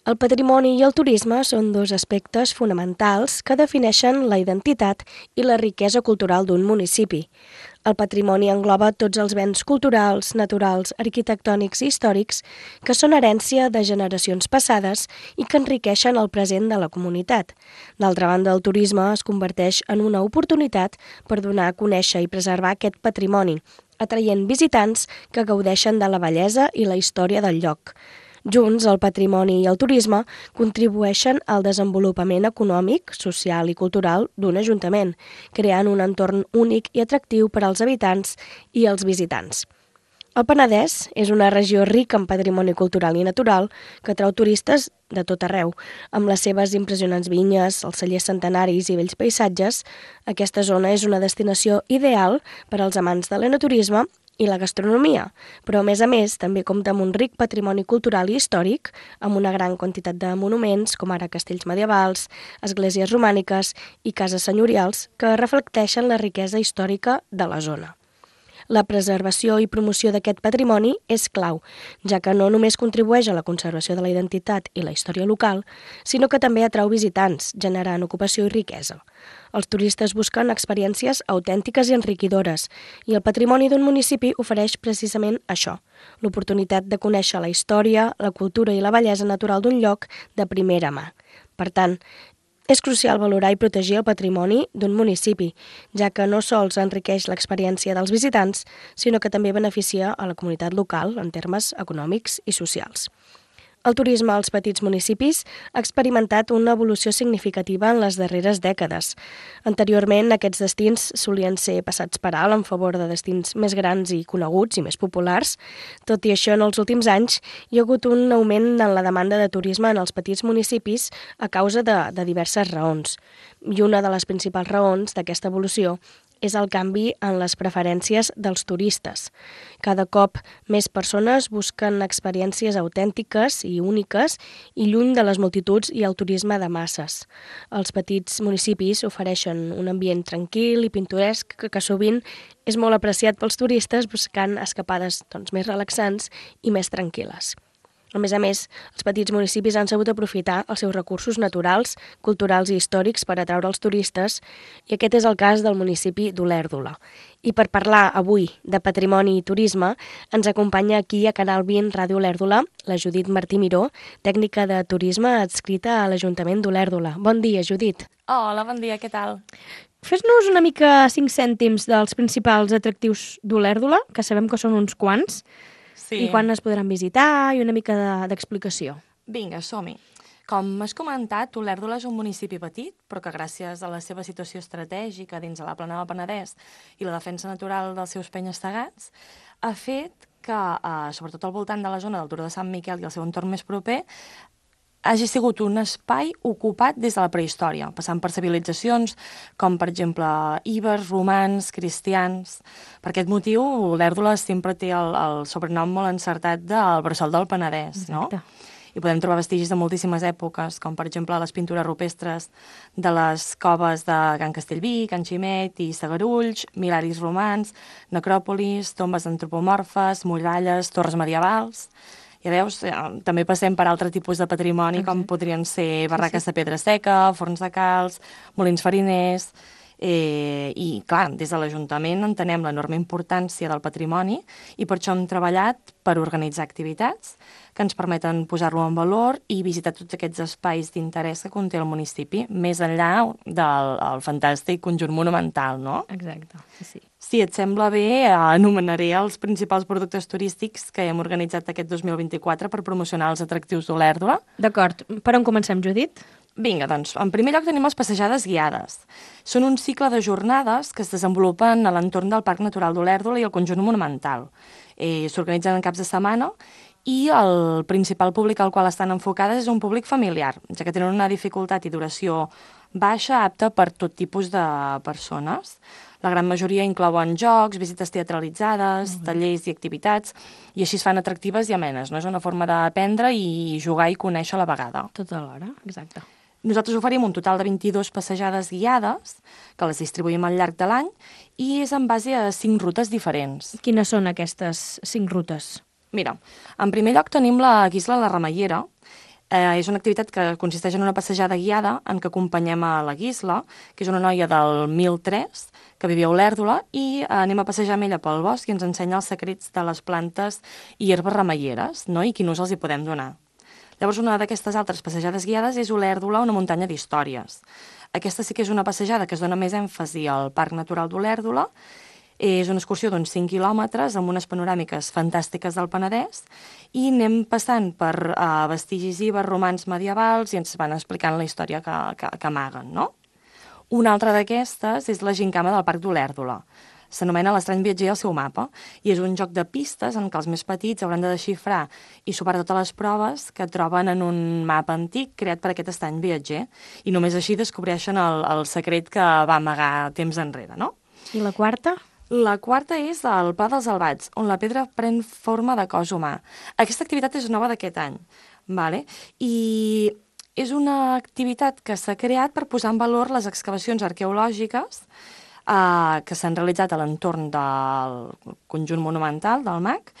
El patrimoni i el turisme són dos aspectes fonamentals que defineixen la identitat i la riquesa cultural d'un municipi. El patrimoni engloba tots els béns culturals, naturals, arquitectònics i històrics que són herència de generacions passades i que enriqueixen el present de la comunitat. D'altra banda, el turisme es converteix en una oportunitat per donar a conèixer i preservar aquest patrimoni, atraient visitants que gaudeixen de la bellesa i la història del lloc. Junts, el patrimoni i el turisme contribueixen al desenvolupament econòmic, social i cultural d'un ajuntament, creant un entorn únic i atractiu per als habitants i els visitants. El Penedès és una regió rica en patrimoni cultural i natural que atrau turistes de tot arreu. Amb les seves impressionants vinyes, els cellers centenaris i bells paisatges, aquesta zona és una destinació ideal per als amants de l'enoturisme i la gastronomia, però a més també compta amb un ric patrimoni cultural i històric, amb una gran quantitat de monuments, com ara castells medievals, esglésies romàniques i cases senyorials, que reflecteixen la riquesa històrica de la zona. La preservació i promoció d'aquest patrimoni és clau, ja que no només contribueix a la conservació de la identitat i la història local, sinó que també atrau visitants, generant ocupació i riquesa. Els turistes busquen experiències autèntiques i enriquidores, i el patrimoni d'un municipi ofereix precisament això, l'oportunitat de conèixer la història, la cultura i la bellesa natural d'un lloc de primera mà. Per tant, és crucial valorar i protegir el patrimoni d'un municipi, ja que no sols enriqueix l'experiència dels visitants, sinó que també beneficia a la comunitat local en termes econòmics i socials. El turisme als petits municipis ha experimentat una evolució significativa en les darreres dècades. Anteriorment, aquests destins solien ser passats per alt en favor de destins més grans i coneguts i més populars. Tot i això, en els últims anys hi ha hagut un augment en la demanda de turisme en els petits municipis a causa de diverses raons. I una de les principals raons d'aquesta evolució és el canvi en les preferències dels turistes. Cada cop més persones busquen experiències autèntiques i úniques i lluny de les multituds i el turisme de masses. Els petits municipis ofereixen un ambient tranquil i pintoresc que sovint és molt apreciat pels turistes buscant escapades més relaxants i més tranquil·les. A més, els petits municipis han sabut aprofitar els seus recursos naturals, culturals i històrics per atraure els turistes, i aquest és el cas del municipi d'Olèrdola. I per parlar avui de patrimoni i turisme, ens acompanya aquí a Canal 20 Ràdio Olèrdola la Judit Martí Miró, tècnica de turisme adscrita a l'Ajuntament d'Olèrdola. Bon dia, Judit. Hola, bon dia, què tal? Fes-nos una mica 5 cèntims dels principals atractius d'Olèrdola, que sabem que són uns quants, i quan es podran visitar i una mica d'explicació. Vinga, som-hi. Com has comentat, Olèrdola és un municipi petit, però que gràcies a la seva situació estratègica dins de la plana del Penedès i la defensa natural dels seus penya-segats, ha fet que, sobretot al voltant de la zona del Turó de Sant Miquel i el seu entorn més proper, hagi sigut un espai ocupat des de la prehistòria, passant per civilitzacions com, per exemple, ibers, romans, cristians. Per aquest motiu, Olèrdola sempre té el sobrenom molt encertat del bressol del Penedès, no? Exacte. I podem trobar vestigis de moltíssimes èpoques, com, per exemple, les pintures rupestres de les coves de Can Castellví, Can Ximet i Sagarulls, milaris romans, necròpolis, tombes antropomorfes, muralles, torres medievals. Ja veus, també passem per altre tipus de patrimoni, com podrien ser barraques de pedra seca, forns de calç, molins fariners. I, clar, des de l'Ajuntament entenem l'enorme importància del patrimoni i per això hem treballat per organitzar activitats que ens permeten posar-lo en valor i visitar tots aquests espais d'interès que conté el municipi, més enllà del fantàstic conjunt monumental, no? Exacte, sí. Si et sembla bé, anomenaré els principals productes turístics que hem organitzat aquest 2024 per promocionar els atractius d'Olèrdola. D'acord. Per on comencem, Judit? Vinga, doncs, en primer lloc tenim les passejades guiades. Són un cicle de jornades que es desenvolupen a l'entorn del Parc Natural d'Olèrdola i el conjunt monumental. S'organitzen en caps de setmana i el principal públic al qual estan enfocades és un públic familiar, ja que tenen una dificultat i duració baixa apta per tot tipus de persones. La gran majoria inclouen jocs, visites teatralitzades, tallers i activitats, i així es fan atractives i amenes, no? És una forma d'aprendre i jugar i conèixer a la vegada. Tot alhora, exacte. Nosaltres oferim un total de 22 passejades guiades, que les distribuïm al llarg de l'any, i és en base a 5 rutes diferents. Quines són aquestes 5 rutes? Mira, en primer lloc tenim la Guisla la Remeiera. És una activitat que consisteix en una passejada guiada en què acompanyem a la Guisla, que és una noia del 1003, que vivia a Olèrdola, i anem a passejar amb ella pel bosc i ens ensenya els secrets de les plantes i herbes remeieres, no? I quin ús els hi podem donar. Llavors, una d'aquestes altres passejades guiades és Olèrdola, una muntanya d'històries. Aquesta sí que és una passejada que es dona més èmfasi al Parc Natural d'Olèrdola. És una excursió d'uns 5 quilòmetres amb unes panoràmiques fantàstiques del Penedès i anem passant per vestigis ibers, romans, medievals i ens van explicant la història que amaguen, no? Una altra d'aquestes és la gincama del Parc d'Olèrdola. S'anomena l'Estrany viatger al seu mapa i és un joc de pistes en què els més petits hauran de desxifrar i superar totes les proves que troben en un mapa antic creat per aquest estrany viatger i només així descobreixen el secret que va amagar temps enrere, no? I la quarta? La quarta és el Pla dels Albats, on la pedra pren forma de cos humà. Aquesta activitat és nova d'aquest any, vale? I és una activitat que s'ha creat per posar en valor les excavacions arqueològiques que s'han realitzat a l'entorn del conjunt monumental del MAC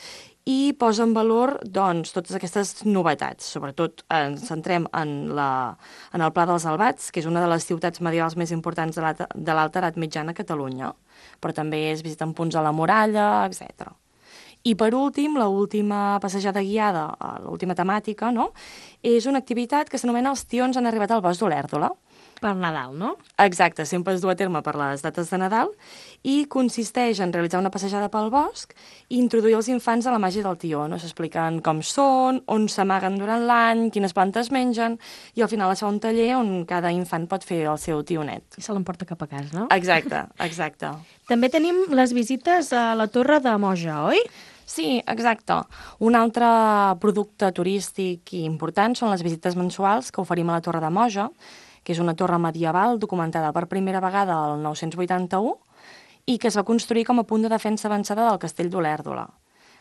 i posa en valor doncs, totes aquestes novetats. Sobretot ens centrem en el Pla dels Albats, que és una de les ciutats medievals més importants de l'Alta Edat Mitjana a Catalunya, però també es visiten punts a la muralla, etc. I per últim, l'última passejada guiada, l'última temàtica, no? És una activitat que s'anomena Els tions han arribat al bosc d'Olèrdola. Per Nadal, no? Exacte, sempre es du a terme per les dates de Nadal i consisteix en realitzar una passejada pel bosc i introduir els infants a la màgia del tió. No? S'expliquen com són, on s'amaguen durant l'any, quines plantes mengen i al final es fa un taller on cada infant pot fer el seu tionet. I se l'emporta cap a casa, no? Exacte, exacte. També tenim les visites a la Torre de Moja, oi? Sí, exacte. Un altre producte turístic important són les visites mensuals que oferim a la Torre de Moja, que és una torre medieval documentada per primera vegada al 981 i que es va construir com a punt de defensa avançada del castell d'Olèrdola.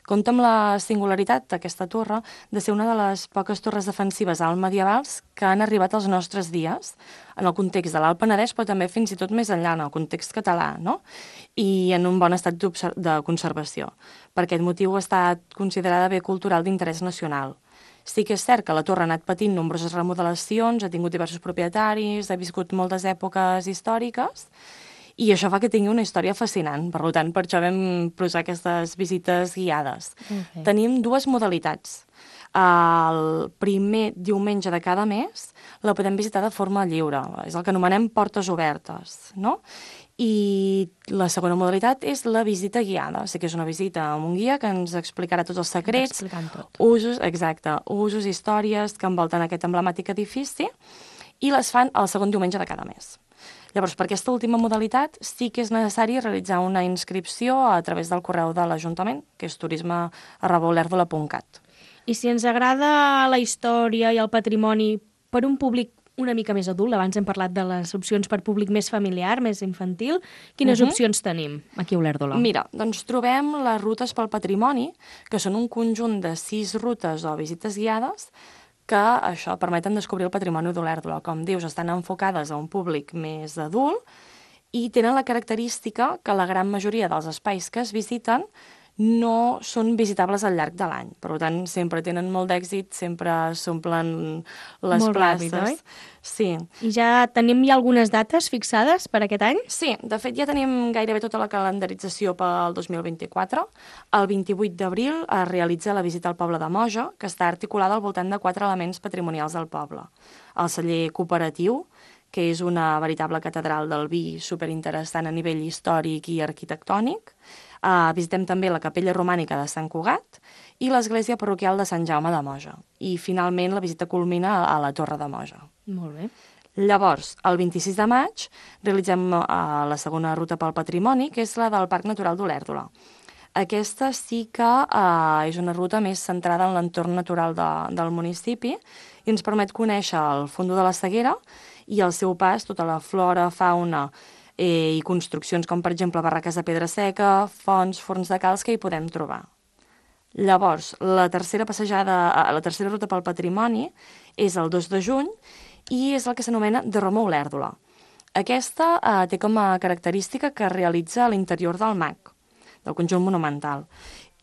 Compta amb la singularitat d'aquesta torre de ser una de les poques torres defensives alt medievals que han arribat als nostres dies, en el context de l'Alt Penedès, però també fins i tot més enllà, en el context català, no? I en un bon estat de conservació. Per aquest motiu ha estat considerada bé cultural d'interès nacional. Sí que és cert que la torre ha anat patint nombroses remodelacions, ha tingut diversos propietaris, ha viscut moltes èpoques històriques, i això fa que tingui una història fascinant. Per tant, per això vam posar aquestes visites guiades. Okay. Tenim dues modalitats. El primer diumenge de cada mes la podem visitar de forma lliure. És el que anomenem portes obertes, no? I la segona modalitat és la visita guiada. O sigui que és una visita amb un guia que ens explicarà tots els secrets, usos, exacte, usos, històries que envolten aquest emblemàtic edifici i les fan el segon diumenge de cada mes. Llavors, per aquesta última modalitat sí que és necessari realitzar una inscripció a través del correu de l'Ajuntament, que és turisme@olèrdola.cat. I si ens agrada la història i el patrimoni per un públic una mica més adult, abans hem parlat de les opcions per públic més familiar, més infantil, quines opcions tenim aquí a Olèrdola? Mira, doncs trobem les rutes pel patrimoni, que són un conjunt de 6 rutes o visites guiades que això permeten descobrir el patrimoni d'Olèrdola. Com dius, estan enfocades a un públic més adult i tenen la característica que la gran majoria dels espais que es visiten no són visitables al llarg de l'any. Per tant, sempre tenen molt d'èxit, sempre s'omplen les molt places. Ràpid, oi? Sí. I ja tenim algunes dates fixades per aquest any? Sí, de fet ja tenim gairebé tota la calendarització pel 2024. El 28 d'abril es realitza la visita al poble de Moja, que està articulada al voltant de 4 elements patrimonials del poble. El celler cooperatiu, que és una veritable catedral del vi superinteressant a nivell històric i arquitectònic. Visitem també la capella romànica de Sant Cugat i l'església parroquial de Sant Jaume de Moja. I finalment la visita culmina a la Torre de Moja. Molt bé. Llavors, el 26 de maig realitzem la segona ruta pel patrimoni, que és la del Parc Natural d'Olèrdola. Aquesta sí que és una ruta més centrada en l'entorn natural del municipi i ens permet conèixer el Fondo de la Seguera i al seu pas tota la flora, fauna i construccions com, per exemple, barraques de pedra seca, fonts, forns de calç que hi podem trobar. Llavors, la tercera ruta pel patrimoni és el 2 de juny i és el que s'anomena de Roma a Olèrdola. Aquesta té com a característica que realitza a l'interior del MAC, del conjunt monumental,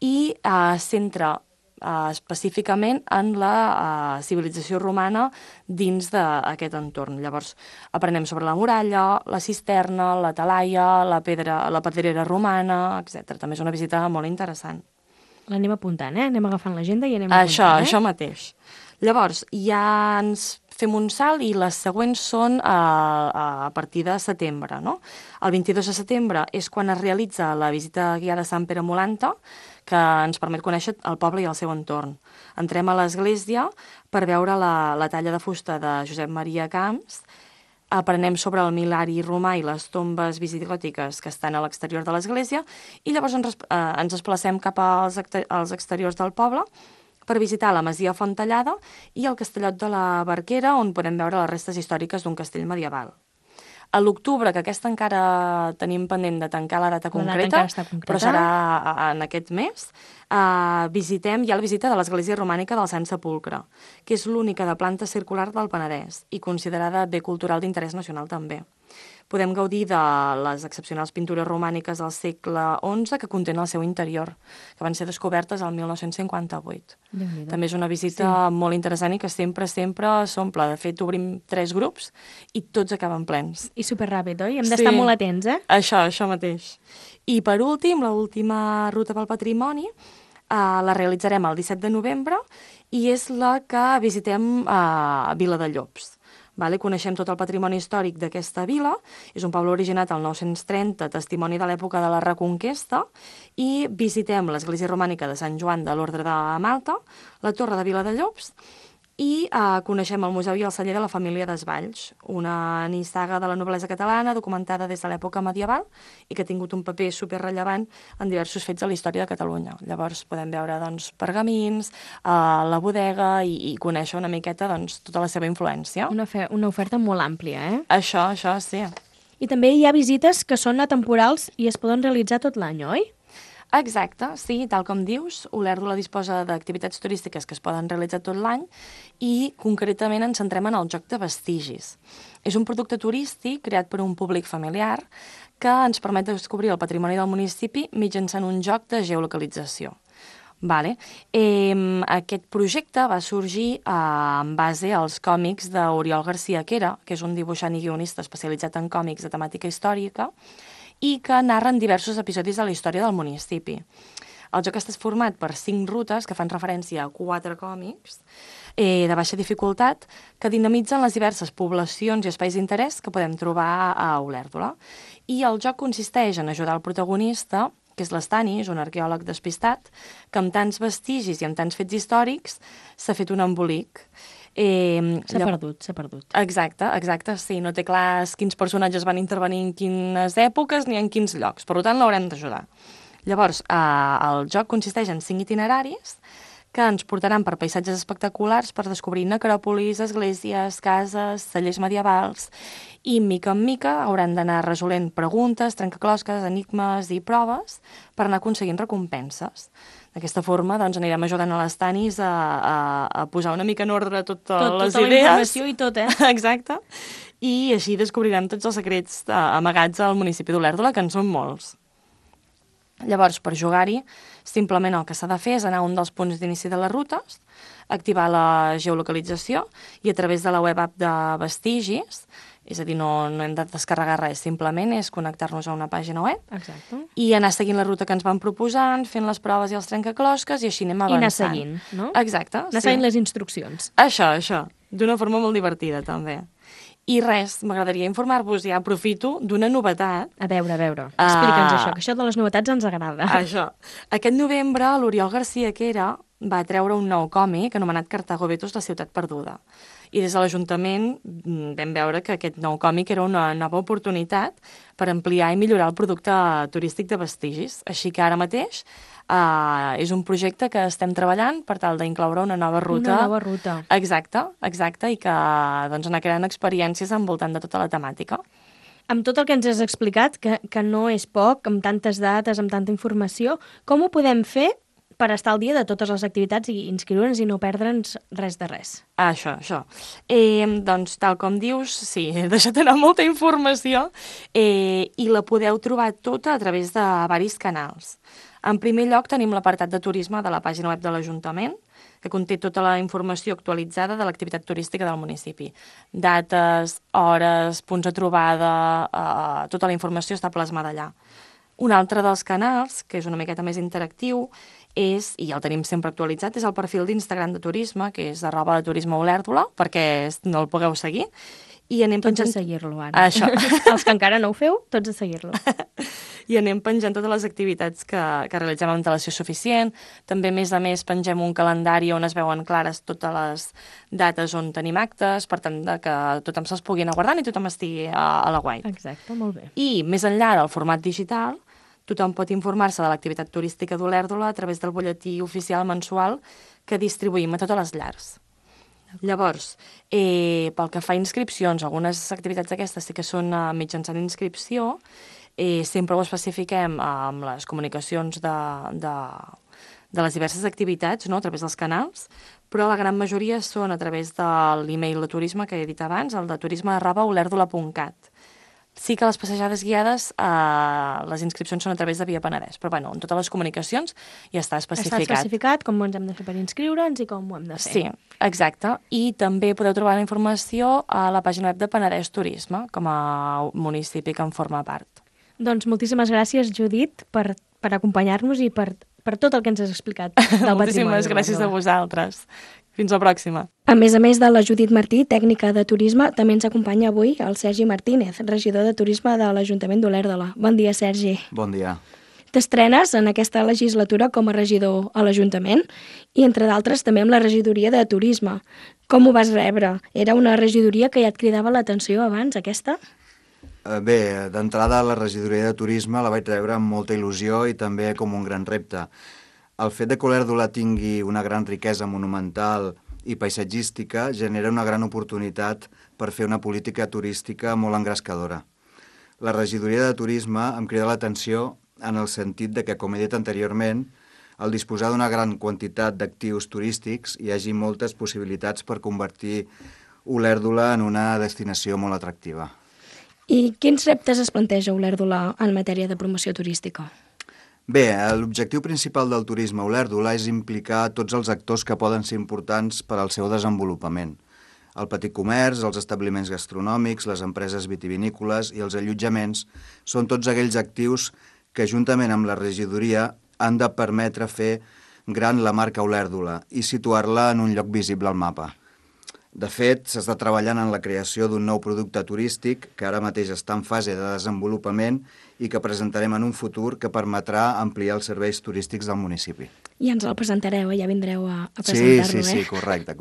i centra específicament en la civilització romana dins d'aquest entorn. Llavors, aprenem sobre la muralla, la cisterna, la talaia, la pedrera romana, etc. També és una visita molt interessant. L'anem apuntant, Anem agafant l'agenda i anem apuntant, Això mateix. Llavors, ja ens fem un salt i les següents són a partir de setembre, no? El 22 de setembre és quan es realitza la visita guiada a Sant Pere Molanta, que ens permet conèixer el poble i el seu entorn. Entrem a l'església per veure la talla de fusta de Josep Maria Camps, aprenem sobre el mil·lenari romà i les tombes visigòtiques que estan a l'exterior de l'església i llavors ens desplacem cap als exteriors del poble per visitar la masia Fontellada i el castellot de la Barquera, on podem veure les restes històriques d'un castell medieval. A l'octubre, que aquesta encara tenim pendent de tancar la data concreta, però serà en aquest mes, visitem ja la visita de l'església romànica del Sant Sepulcre, que és l'única de planta circular del Penedès i considerada bé cultural d'interès nacional també. Podem gaudir de les excepcionals pintures romàniques del segle XI que contenen al seu interior, que van ser descobertes el 1958. També és una visita molt interessant i que sempre s'omple. De fet, obrim 3 grups i tots acaben plens. I superràpid, oi? Hem d'estar molt atents, Això mateix. I per últim, l'última ruta pel patrimoni la realitzarem el 17 de novembre i és la que visitem a Vila de Llops. Coneixem tot el patrimoni històric d'aquesta vila, és un poble originat al 930, testimoni de l'època de la Reconquesta, i visitem l'església romànica de Sant Joan de l'Ordre de Malta, la Torre de Vila de Llops, i coneixem el Museu i el Celler de la família Desvalls, una nissaga de la noblesa catalana documentada des de l'època medieval i que ha tingut un paper superrellevant en diversos fets de la història de Catalunya. Llavors podem veure pergamins, la bodega i conèixer una miqueta tota la seva influència. Una oferta molt àmplia, Això, sí. I també hi ha visites que són atemporals i es poden realitzar tot l'any, oi? Exacte, sí, tal com dius, Olèrdola disposa d'activitats turístiques que es poden realitzar tot l'any i concretament ens centrem en el joc de vestigis. És un producte turístic creat per un públic familiar que ens permet descobrir el patrimoni del municipi mitjançant un joc de geolocalització. Aquest projecte va sorgir en base als còmics d'Oriol García Quera, que és un dibuixant i guionista especialitzat en còmics de temàtica històrica, i que narren diversos episodis de la història del municipi. El joc està format per 5 rutes que fan referència a 4 còmics de baixa dificultat que dinamitzen les diverses poblacions i espais d'interès que podem trobar a Olèrdola. I el joc consisteix en ajudar el protagonista, que és l'Estanis, un arqueòleg despistat, que amb tants vestigis i amb tants fets històrics s'ha fet un embolic. S'ha perdut. Exacte, sí. No té clars quins personatges van intervenir en quines èpoques ni en quins llocs. Per tant, l'haurem d'ajudar. Llavors, el joc consisteix en 5 itineraris que ens portaran per paisatges espectaculars per descobrir necròpolis, esglésies, cases, cellers medievals i, mica en mica, hauran d'anar resolent preguntes, trencaclosques, enigmes i proves per anar aconseguint recompenses. D'aquesta forma, anirem ajudant a les Tanis a posar una mica en ordre totes les idees. Tota la informació i tot, Exacte. I així descobrirem tots els secrets amagats al municipi d'Olèrdola, que en són molts. Llavors, per jugar-hi, simplement el que s'ha de fer és anar a un dels punts d'inici de les rutes, activar la geolocalització i a través de la web app de vestigis, és a dir, no hem de descarregar res, simplement és connectar-nos a una pàgina web. Exacte. I anar seguint la ruta que ens van proposant, fent les proves i els trencaclosques i així anem avançant. I anar seguint, no? Exacte. Anar seguint les instruccions. Això, d'una forma molt divertida també. I res, m'agradaria informar-vos, ja aprofito, d'una novetat. A veure. Explica'ns això, que això de les novetats ens agrada. Això. Aquest novembre, l'Oriol García Quera va treure un nou còmic anomenat Cartago Betos, la ciutat perduda. I des de l'Ajuntament vam veure que aquest nou còmic era una nova oportunitat per ampliar i millorar el producte turístic de vestigis. Així que ara mateix és un projecte que estem treballant per tal d'incloure una nova ruta. Una nova ruta. Exacte, i que anar creant experiències envoltant de tota la temàtica. Amb tot el que ens has explicat, que no és poc, amb tantes dates, amb tanta informació, com ho podem fer per estar al dia de totes les activitats i inscriure'ns i no perdre'ns res de res. Això. Doncs, tal com dius, sí, he deixat anar molta informació i la podeu trobar tota a través de varis canals. En primer lloc tenim l'apartat de turisme de la pàgina web de l'Ajuntament, que conté tota la informació actualitzada de l'activitat turística del municipi. Dates, hores, punts de trobada, tota la informació està plasmada allà. Un altre dels canals, que és una miqueta més interactiu, és, i el tenim sempre actualitzat, és el perfil d'Instagram de turisme, que és @turismeolèrdola, perquè no el pugueu seguir. I anem Tots penjant... a seguir-lo, ara. Això. Els que encara no ho feu, tots a seguir-lo. I anem penjant totes les activitats que realitzem amb antelació suficient. També, a més, pengem un calendari on es veuen clares totes les dates on tenim actes, per tant, que tothom se'ls pugui anar guardant i tothom estigui a la guai. Exacte, molt bé. I, més enllà del format digital, tothom pot informar-se de l'activitat turística d'Olèrdola a través del butlletí oficial mensual que distribuïm a totes les llars. Llavors, pel que fa a inscripcions, algunes activitats d'aquestes sí que són mitjançant inscripció, sempre ho especifiquem amb les comunicacions de les diverses activitats, no?, a través dels canals, però la gran majoria són a través de l'email de turisme que he dit abans, el de turisme@olèrdola.cat. Sí que les passejades guiades, les inscripcions són a través de Via Penedès, però bueno, en totes les comunicacions ja està especificat. Està especificat com ens hem de fer per inscriure'ns i com ho hem de fer. Sí, exacte. I també podeu trobar la informació a la pàgina web de Penedès Turisme, com a municipi que en forma part. Doncs moltíssimes gràcies, Judit, per acompanyar-nos i per tot el que ens has explicat del patrimoni. Moltíssimes gràcies a vosaltres. Fins la pròxima. A més de la Judit Martí, tècnica de turisme, també ens acompanya avui el Sergi Martínez, regidor de turisme de l'Ajuntament d'Olèrdola. Bon dia, Sergi. Bon dia. T'estrenes en aquesta legislatura com a regidor a l'Ajuntament i, entre d'altres, també amb la regidoria de turisme. Com ho vas rebre? Era una regidoria que ja et cridava l'atenció abans, aquesta? Bé, d'entrada la regidoria de turisme la vaig rebre amb molta il·lusió i també com un gran repte. El fet de que Olèrdola tingui una gran riquesa monumental i paisatgística genera una gran oportunitat per fer una política turística molt engrescadora. La regidoria de turisme em crida l'atenció en el sentit de que, com he dit anteriorment, al disposar d'una gran quantitat d'actius turístics hi hagi moltes possibilitats per convertir Olèrdola en una destinació molt atractiva. I quins reptes es planteja Olèrdola en matèria de promoció turística? Bé, l'objectiu principal del turisme a Olèrdola és implicar tots els actors que poden ser importants per al seu desenvolupament. El petit comerç, els establiments gastronòmics, les empreses vitivinícoles i els allotjaments són tots aquells actius que, juntament amb la regidoria, han de permetre fer gran la marca Olèrdola i situar-la en un lloc visible al mapa. De fet, s'està treballant en la creació d'un nou producte turístic que ara mateix està en fase de desenvolupament i que presentarem en un futur que permetrà ampliar els serveis turístics del municipi. I ens el presentareu, ja vindreu a presentar-lo, Sí, correcte.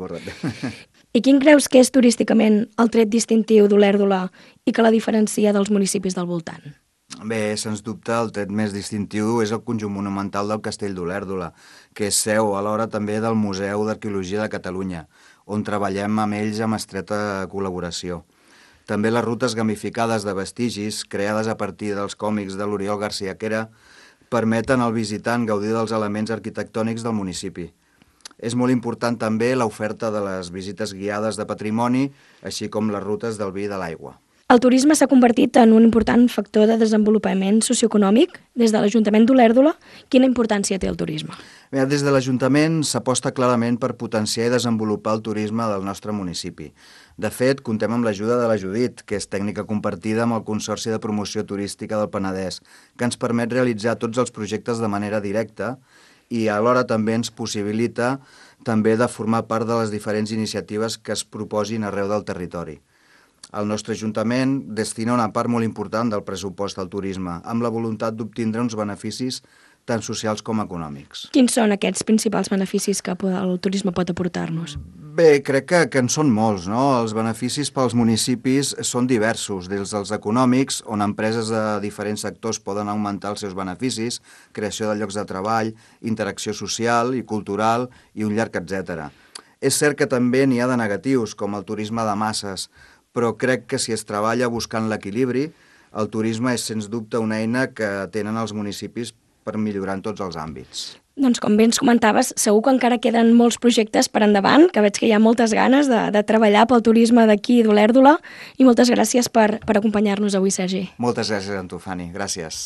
I quin creus que és turísticament el tret distintiu d'Olèrdola i que la diferencia dels municipis del voltant? Bé, sens dubte, el tret més distintiu és el conjunt monumental del Castell d'Olèrdola, que és seu alhora també del Museu d'Arqueologia de Catalunya, on treballem amb ells amb estreta col·laboració. També les rutes gamificades de vestigis, creades a partir dels còmics de l'Oriol García Quera, permeten al visitant gaudir dels elements arquitectònics del municipi. És molt important també l'oferta de les visites guiades de patrimoni, així com les rutes del vi i de l'aigua. El turisme s'ha convertit en un important factor de desenvolupament socioeconòmic. Des de l'Ajuntament d'Olèrdola, quina importància té el turisme? Bé, des de l'Ajuntament s'aposta clarament per potenciar i desenvolupar el turisme del nostre municipi. De fet, comptem amb l'ajuda de la Judit, que és tècnica compartida amb el Consorci de Promoció Turística del Penedès, que ens permet realitzar tots els projectes de manera directa i alhora també ens possibilita també de formar part de les diferents iniciatives que es proposin arreu del territori. El nostre Ajuntament destina una part molt important del pressupost al turisme, amb la voluntat d'obtindre uns beneficis tant socials com econòmics. Quins són aquests principals beneficis que el turisme pot aportar-nos? Bé, crec que en són molts, no? Els beneficis pels municipis són diversos, des dels econòmics, on empreses de diferents sectors poden augmentar els seus beneficis, creació de llocs de treball, interacció social i cultural i un llarg etcètera. És cert que també n'hi ha de negatius, com el turisme de masses, però crec que si es treballa buscant l'equilibri, el turisme és sens dubte una eina que tenen els municipis per millorar en tots els àmbits. Doncs com bé ens comentaves, segur que encara queden molts projectes per endavant, que veig que hi ha moltes ganes de treballar pel turisme d'aquí d'Olèrdola, i moltes gràcies per acompanyar-nos avui, Sergi. Moltes gràcies a tu, Fanny. Gràcies.